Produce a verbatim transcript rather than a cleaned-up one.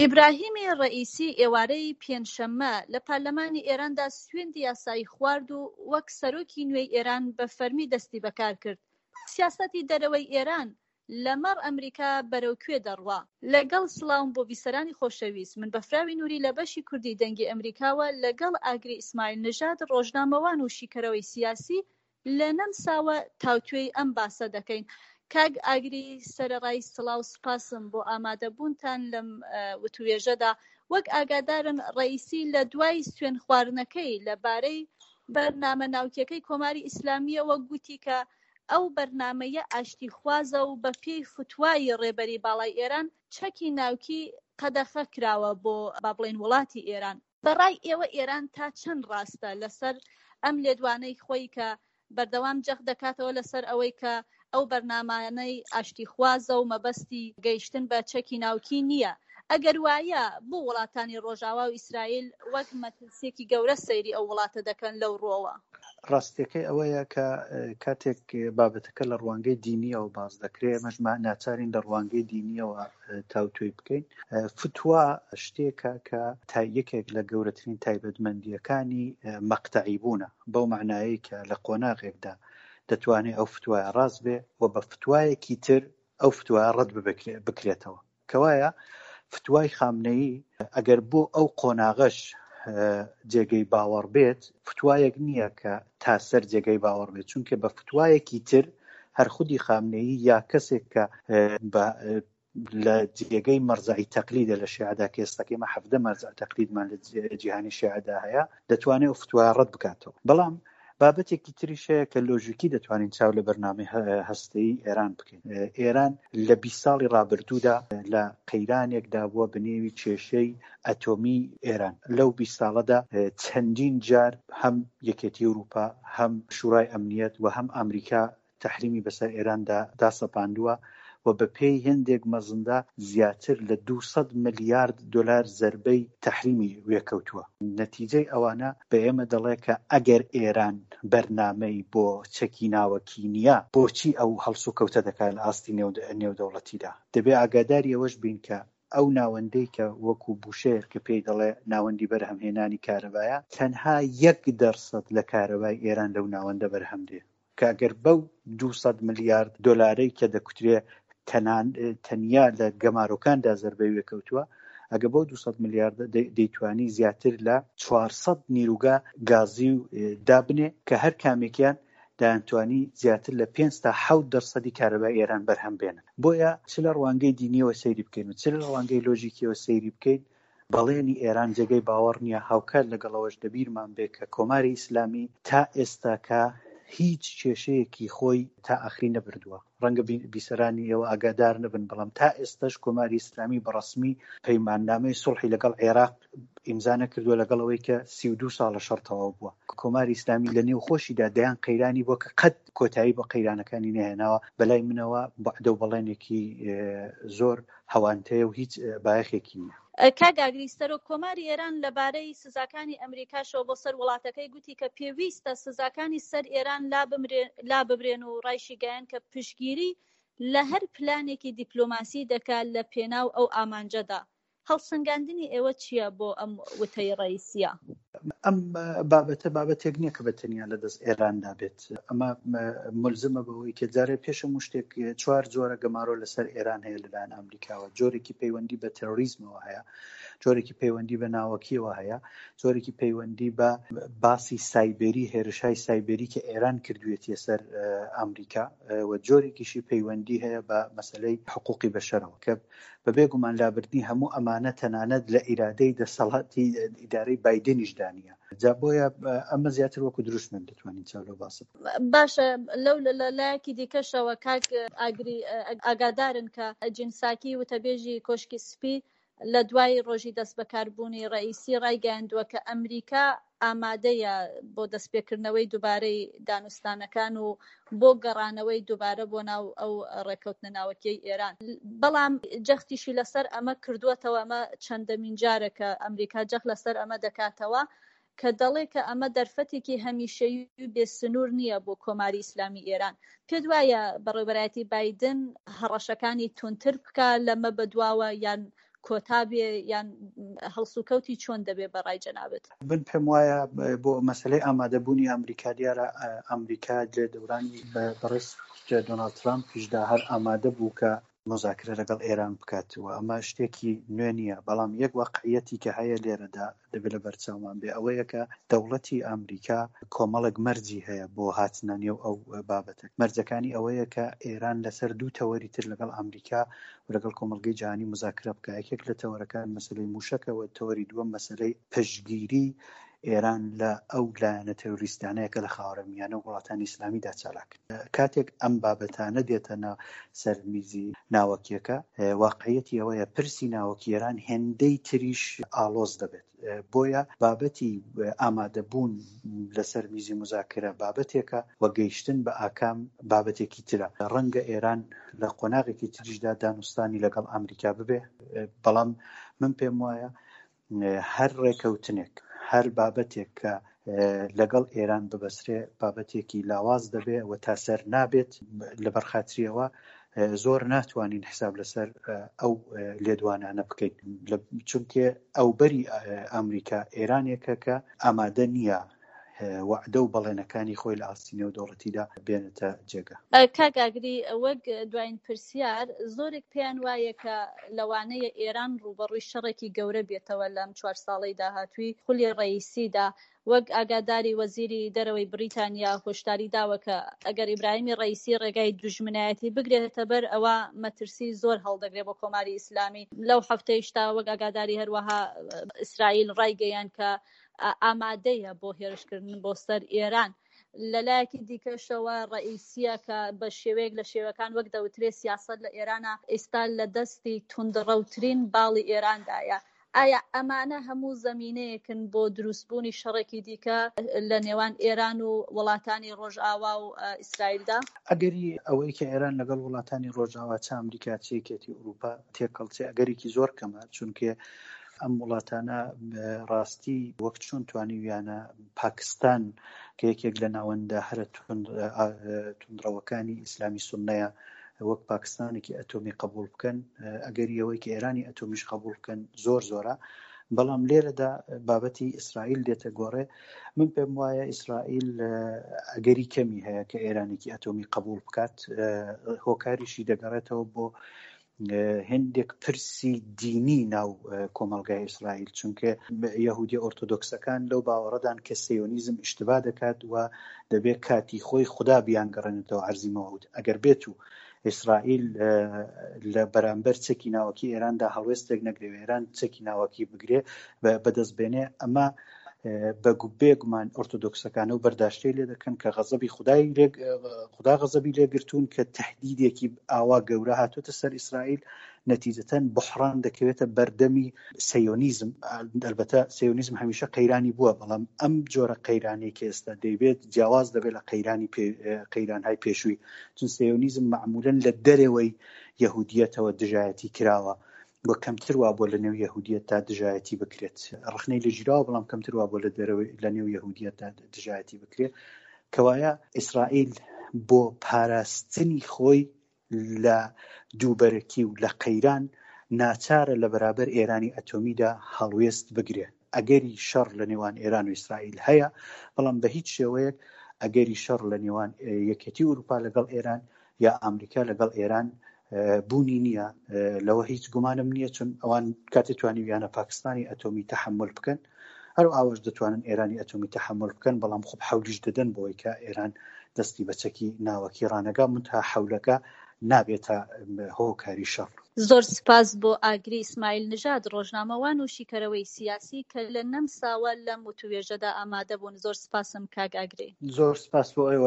ئیبراهیمی ڕەئیسی ئێوارەی پێنجشەممە لە پەرلەمانی ئێراندا سوێندی یاسایی خوارد و وەک سەرۆکی نوێی ئێران بە فەرمی دەستی بەکار کرد. سیاسەتی دەرەوەی ئێران لەمەڕ ئەمریکا بەرەو کوێ دەڕوا؟ لەگەڵ سڵاوم بۆ بیسەرانی خۆشەویست، من بەفراوی نوری لە بەشی کوردی دەنگی ئەمریکاوە لەگەڵ ئاگری ئیسماعیل نژاد ڕۆژنامەوان و شیکەرەوەی سیاسی لە نەمساوە تاوتوێی ئەم باسە دەکەین. کاک ئاگری سەرەڕای سڵاو سوپاسم بۆ ئامادەبوونتان لەم وتوێژەدا. وەک ئاگادارن ڕەئیسی لە دوای سوێن خواردنەکەی لە بارەی بەرنامە ناوکیەکەی کۆماری ئیسلامیەوە گوتی کە ئەو بەرنامەیە ئاشتیخوازە و بە پێی فتوای ڕێبەری باڵای ئێران چەکی ناوکی قەدەخە کراوە بۆ با بڵێین وڵاتی ئێران. بە ڕای ئێوە ئێران تا چەند ڕاستە لەسەر ئەم لێدوانەی خۆی کە بەردەوام جەخت دەکاتەوە لەسەر ئەوەی کە ئەو بەرنامانەی ئاشتیخوازە و مەبەستی گەیشتن بە چەکی ناوکی نییە؟ ئەگەر وایە بۆ وڵاتانی ڕۆژاوا و ئیسرائیل وەک مەترسییەکی گەورە سەیری ئەو وڵاتە دەکەن لەو ڕووەوە؟ ڕاستیەکەی ئەوەیە کە کاتێک بابەتەکە لە ڕوانگەی دینیەوە باس دەکرێت، ئێمەش ناچارین لە ڕوانگەی دینیەوە تاوتوێی بکەین. فتوا شتێکە کە یەکێک لە گەورەترین تایبەتمەندیەکانی مەقتەعی بوونە، بەو معنایەی کە لە قۆناغێکدا دەتوانێت ئەو فتوایە ڕاست بێ و بە فتوایەکی تر ئەو فتوایە ڕەت بکرێتەوە. کەوایە فتوای خامنەیی ئەگەر بۆ ئەو قۆناغەش جێگەی باوەڕ بێت، فتوایەک نییە کە تا سەر جێگەی باوەڕ بێت، چونکە بە فتوایەکی تر هەر خودی خامنەیی یا کەسێک کە بە لە جێگەی مەرجەعی تەقلیدە لە شیعەدا، کە ئێستاکەی ئێمە حەڤدە مەرجەع تەقلیدمان لە جیهانی شیعەدا هەیە، دەتوانێت ئەو فتوایە ڕەت بکاتەوە. بەڵام بابەتێکی تریش هەیە کە لۆژیکی دەتوانین چاو لە بەرنامەی هەستەیی ئێران بکەین. ئێران لە بیست ساڵی ڕابردوودا لە قەیرانێکدا بووە بە نێوی کێشەی ئەتۆمی ئێران. لەو بیست ساڵەدا چەندین جار هەم یەکێتی ئەوروپا، هەم شورای ئەمنیەت و هەم ئەمریکا تەحریمی بەسەر ئێراندا داسەپاندووە و بە پێی هێندێک مەزندا زیاتر لە دووسەد ملیارد دلار زەربەی تەحریمی وێکەوتووە. نەتیجەی ئەوانە بە ئێمە دەڵێ کە ئەگەر ئێران بەرنامەی بۆ چەکی ناوەکی نییە، بۆچی ئەو هەڵسوکەوتە دەکات لە ئاستی نێودەوڵەتیدا؟ دەبێ ئاگاداری ئەوەش بین کە ئەو ناوەندەی کە وەکو بوشێر کە پێی دەڵێ ناوەندی بەرهەمهێنانی کارەبایە، تەنها یەک دەرسەد لە کارەبای ئێران لەو ناوەندە بەرهەم دێ، کە ئەگەر بەو دووسەد ملیارد دلارەی کە دەکوترێ تەنیا لە گەمارۆکاندا زەربەی وێکەوتووە، ئەگە بەو دووسەد ملیارد دەیتوانی زیاتر لە چوارسەد نیروگا گازی و دابنێ کە هەر کامێکیان دەیانتوانی زیاتر لە پێنج تا حەوت دەرسەدی کارەبای ئێران بەرهەم بێنن. بۆیە چ لە ڕوانگەی دینیەوە سەیری بکەین و چ لە ڕوانگەی لۆژیکیەوە سەیری بکەین، بەڵێنی ئێران جێگەی باوەڕ نییە. هاوکات لەگەڵەوەش دەبیرمان بێ کە کۆماری ئیسلامی تا ئێستاکە هیچ کێشەیەکی خۆی تا ئاخری نەبردووە. ڕەنگە بیسەرانی ئێوە ئاگادار نەبن، بەڵام تا ئێستاش کۆماری ئیسلامی بەڕەسمی پەیماننامەی سوڵحی لەگەڵ عێراق ئیمزا نەکردووە، لەگەڵ ئەوەی کە سی و دوو ساڵە شەڕ تەواو بووە. کۆماری ئیسلامی لە نێو خۆشیدا دەیان قەیرانی بووە کە قەت کۆتایی بە قەیرانەکانی نەهێناوە. بەلای منەوە بەعدە و بەڵێنێکی زۆر هەوانتەیە و هیچ بایەخێکی نییە. کاک ئاگری، سەرۆک کۆماری ئێران لەبارەی سزاکانی ئەمریکاشەوە بۆ سەر وڵاتەکەی گوتی کە پێویستە سزاکانی سەر ئێران لا ببرێن و ڕایشیگەیان کە پشتگیری لە هەر پلانێکی دیپلۆماسی دەکات لە پێناو ئەو ئامانجەدا. هەڵسەنگاندنی ئێوە چییە بۆ ئەم وتەی ڕئیسیە؟ ئەم بابەتە بابەتێک نییە کە بە تەنیا لە دەست ئێراندا بێت. ئەمە ملزمە بەوەی کە جارێ پێش هەموو شتێک چوار جۆرە گەمارۆ لەسەر ئێران هەیە لەلایەن ئەمریکاوە. جۆرێکی پەیوەندی بە تێرۆریزمەوە هەیە، جۆرێکی پەیوەندی بە ناوەکیەوە هەیە، جۆرێکی پەیوەندی بە باسی سایبری، هێرشای سایبری کە ئێران کردوێتیە سەر ئەمریکا، و جۆرێکیشی پەیوەندی هەیە بە مەسلەی حقوقی بەشەرەوە کە بەبێ گومان لابردنی هەموو ئەمانە تەنانەت لە ئیرادەی دەسەڵاتی ئیدارەی بایدنیشدا نییە. جا بۆیە ئەمە زیاتر وەکو دروشمێک دەتوانین چاو لەو باسە بکەین. باشە، لەو لایەکی دیکەشەوە کاک ئاگری ئاگادارن کە جینساکی وتەبێژی کۆشکی سپی لە دوای ڕۆژی دەست بەکاربوونی ڕئیسی ڕایگەیاندووە کە ئەمریکا ئامادەیە بۆ دەستپێکردنەوەی دووبارەی دانوستانەکان و بۆ گەڕانەوەی دووبارە بۆ ناو ئەو ڕێککەوتنە ناوەکیەی ئێران، بەڵام جەختیشی لەسەر ئەمە کردووەتەوە، ئەمە چەندەمین جارە کە ئەمریکا جەخت لەسەر ئەمە دەکاتەوە کە دەڵێ کە ئەمە دەرفەتێکی هەمیشەیی و بێسنوور نییە بۆ کۆماری ئیسلامی ئێران. پێت وایە بەڕێوەبەرایەتی بایدن هەڕەشەکانی توندتر بکە لەمە بەدواوە یان کۆتا بێ یان هەڵسوکەوتی چۆن دەبێ بە ڕای جەنابت؟ من پێم وایە بۆ مەسلەی ئامادەبوونی ئەمریکا دیارە ئەمریکا لە دەورانی بەڕێز دۆناڵد ترامپیشدا هەر ئامادە بوو کە مذاکرە لەگەڵ ئێران بکات و ئەمە شتێکی نوێ نییە، بەڵام یەک واقعیەتی کە هەیە لێرەدا دەبێت لە بەرچاومان بێ ئەوەیە کە دەوڵەتی ئەمریکا کۆمەڵێک مەرجی هەیە بۆ هاتنە نێو ئەو بابەتە. مەرجەکانی ئەوەیە کە ئێران لەسەر دوو تەوەری تر لەگەڵ ئەمریکا و لەگەڵ کۆمەڵگەی جیهانی مذاکرە بکە. یەکێک لە تەوەرەکان مەسەلەی موشەکە و تەوەری دووەم مەسەلەی پشتگیری ئێران لە ئەو لایەنە تێرۆریستانەیە کە لە خاوەرمیانە و وڵاتانی ئیسلامیدا چالاکن. کاتێک ئەم بابەتانە دێتە سەر میزی ناوەکیەکە، واقعیەتی ئەوەیە پرسی ناوەکی ئێران هێندەی تریش ئاڵۆز دەبێت. بۆیە بابەتی ئامادەبوون لەسەر میزی مذاکرە بابەتێکە و گەیشتن بە ئاکام بابەتێکی ترە. ڕەنگە ئێران لە قۆناغێکی تریشدا دانوستانی لەگەڵ ئەمریکا ببێ، بەڵام من پێم وایە هەر ڕێکەوتنێک، هەر بابەتێک کە لەگەڵ ئێران ببەسرێ بابەتێکی لاواز دەبێ و تا سەر نابێت. لەبەر خاتریەوە زۆر ناتوانین حساب لەسەر ئەو لێدوانانە بکەین، چونکە ئەو بەری ئەمریکا ئێرانێکە کە ئامادە نییە وعدە و بەڵێنەکانی خۆی لە ئاستی نێودەوڵەتیدا بێنێتە جێگا. کاک ئاگری، وەک دوایین پرسیار، زۆرێک پێیان وایە کە لەوانەیە ئێران ڕووبەڕووی شەڕێکی گەورە بێتەوە لەم چوار ساڵەی داهاتووی خولی ڕئیسیدا. وەک ئاگاداری وەزیری دەرەوەی بریتانیا هۆشداری داوە کە ئەگەر ئیبراهیمی ڕئیسی ڕێگای دوژمنایەتی بگرێتە بەر ئەوە مەترسی زۆر هەڵدەگرێت بۆ کۆماری ئیسلامی. لەو هەفتەیشتا وەک ئاگاداری هەروەها ئیسرائیل ڕایگەیان کە ئامادەیە بۆ هێرشکردن بۆ سەر ئێران. لەلایەکی دیکەشەوە ڕئیسیە کە بە شێوەیەک لە شێوەکان وەک دەوترێ سیاسەت لە ئێرانە ئێستا لە دەستی توندڕەوترین باڵی ئێراندایە. ئایا ئەمانە هەموو زەمینەیەکن بۆ دروستبوونی شەڕێکی دیکە لە نێوان ئێران و وڵاتانی ڕۆژئاوا و ئیسرائیلدا؟ ئەگەری ئەوەی کە ئێران لەگەڵ وڵاتانی ڕۆژئاوا چ ئەمریکا چ یەکێتی ئەوروپا تێکەڵچێ ئەگەرێکی زۆر کەمە، چونکە ئەم وڵاتانە ڕاستی وەک چۆن توانیویانە پاکستان کە یەکێک لە ناوەندە هەرە توندڕەوەکانی ئیسلامی سوننەیە وەک پاکستانێکی ئەتۆمی قبول بکەن، ئەگەری ئەوەی کە ئێرانی ئەتۆمیش قبول بکەن زۆر زۆرە. بەڵام لێرەدا بابەتی ئیسرائیل دێتە گۆڕێ. من پێم وایە ئیسرائیل ئەگەری کەمی هەیە کە ئێرانێکی ئەتۆمی قبول بکات. هۆکاریشی دەگەڕێتەوە بۆ هەندێک پرسی دینی ناو کۆمەلگای ئیسرائیل، چونکە یەهودی ئۆرتۆدۆکسەکان لەو باوەڕەدان کە سیۆنیزم ئیشتبا دەکات و دەبێت کاتی خۆی خوددا بیانگەڕێنێتەوە عەرزی مەوعود. ئەگەر بێت و ئیسرائیل لە بەرامبەر چەکی ناوەکی ئێراندا هەڵوێستێک نەگرێ، ئێران چەکی ناوەکی بگرێ بەدەست بێنێ، ئەمە بێگومان ئۆرتۆدۆکسەکانە و بەرداشتەی لێ دەکەن کە غەزەبی خودای خدا غەزەبی لێگرتوون کە تهدیدێکی ئاوا گەورە هاتووەتە سەر ئیسرائیل. نەتیجەتەن بحران دەکەوێتە بەردەمی سیۆنیزم. ئەلبەتە سیۆنیزم هەمیشە قەیرانی بووە، بەڵام ئەم جۆرە قەیرانەی کە ئێستا دەیبێت جیاواز دەبێت لە قەیرانی قەیرانهای پێشووی، چون سیۆنیزم معمولاً لە دەرەوەی یەهودیەتەوە دژایەتی کراوە و کەمتر وا بۆ لە نێو یەهودیەتدا دژایەتی بکرێت. ڕخنەی لە ژیراوە، بەڵام کەمتر وا بۆ لە دەرەوەی لە نێو یەهودیەتدا دژایەتی بکرێت. کەوایە ئیسرائیل بۆ پاراستنی خۆی لە دووبەرەکی و لە قەیران ناچارە لە بەرابەر ئێرانی ئەتۆمیدا هەڵوێست بگرێ. ئەگەری شەڕ لە نێوان ئێران و ئیسرائیل هەیە، بەڵام بە هیچ شێوەیەک ئەگەری شەڕ لە نێوان یەکێتی ئەوروپا لەگەڵ ئێران یا ئەمریکا لەگەڵ ئێران بوونی نییە. لەوە هیچ گومانم نییە، چون ئەوان کاتێ توانیویانە پاکستانی ئەتۆمی تەحەمول بکەن، هەر ئاوەش دەتوانن ئێرانی ئەتۆمی تەحەمول بکەن، بەڵام خۆب حەولیش دەدەن بۆی کە ئێران دەستی بە چەکی ناوەکی ڕانەگا، منتها حەولەکە نابێتە هۆکاری شەڕ. زۆر سپاس بۆ ئاگری ئیسماعیل نژاد، ڕۆژنامەوان و شیکەرەوەی سیاسی کە لە نەمساوە لەم وتوێژەدا ئامادە بوون. زۆر سپاسم کاک ئاگری. زۆر سپاس بۆ ئێوە.